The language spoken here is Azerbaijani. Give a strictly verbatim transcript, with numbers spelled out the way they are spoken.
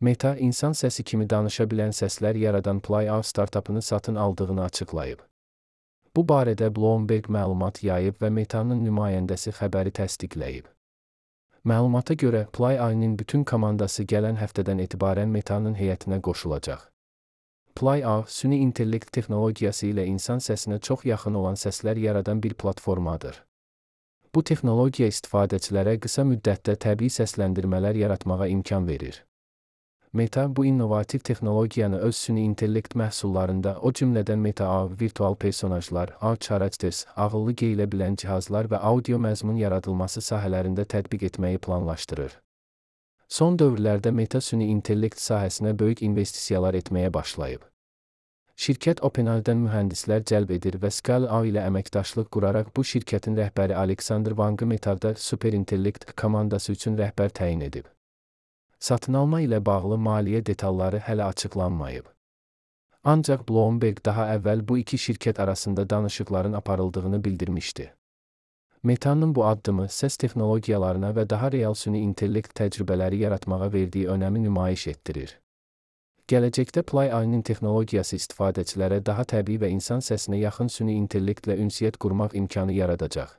Meta, insan səsi kimi danışa bilən səslər yaradan Play-A startapını satın aldığını açıqlayıb. Bu barədə Bloomberg məlumat yayıb və Meta'nın nümayəndəsi xəbəri təsdiqləyib. Məlumata görə, Play-A-nın bütün komandası gələn həftədən etibarən Meta'nın heyətinə qoşulacaq. Play-A, süni intellekt texnologiyası ilə insan səsinə çox yaxın olan səslər yaradan bir platformadır. Bu texnologiya istifadəçilərə qısa müddətdə təbii səsləndirmələr yaratmağa imkan verir. Meta, bu innovativ texnologiyanı öz süni intellekt məhsullarında, o cümlədən Meta-A, virtual personajlar, A R, ağıllı geyilə bilən cihazlar və audio məzmun yaradılması sahələrində tətbiq etməyi planlaşdırır. Son dövrlərdə Meta süni intellekt sahəsinə böyük investisiyalar etməyə başlayıb. Şirkət OpenAI-dən mühəndislər cəlb edir və Scale-A ilə əməkdaşlıq quraraq bu şirkətin rəhbəri Alexander Wang'ı Meta'da süperintellekt komandası üçün rəhbər təyin edib. Satın alma ilə bağlı maliyyə detalları hələ açıqlanmayıb. Ancaq Bloomberg daha əvvəl bu iki şirkət arasında danışıqların aparıldığını bildirmişdi. Meta'nın bu addımı səs texnologiyalarına və daha real süni intellekt təcrübələri yaratmağa verdiyi önəmi nümayiş etdirir. Gələcəkdə Play-A-nın texnologiyası istifadəçilərə daha təbii və insan səsinə yaxın süni intellektlə ünsiyyət qurmaq imkanı yaradacaq.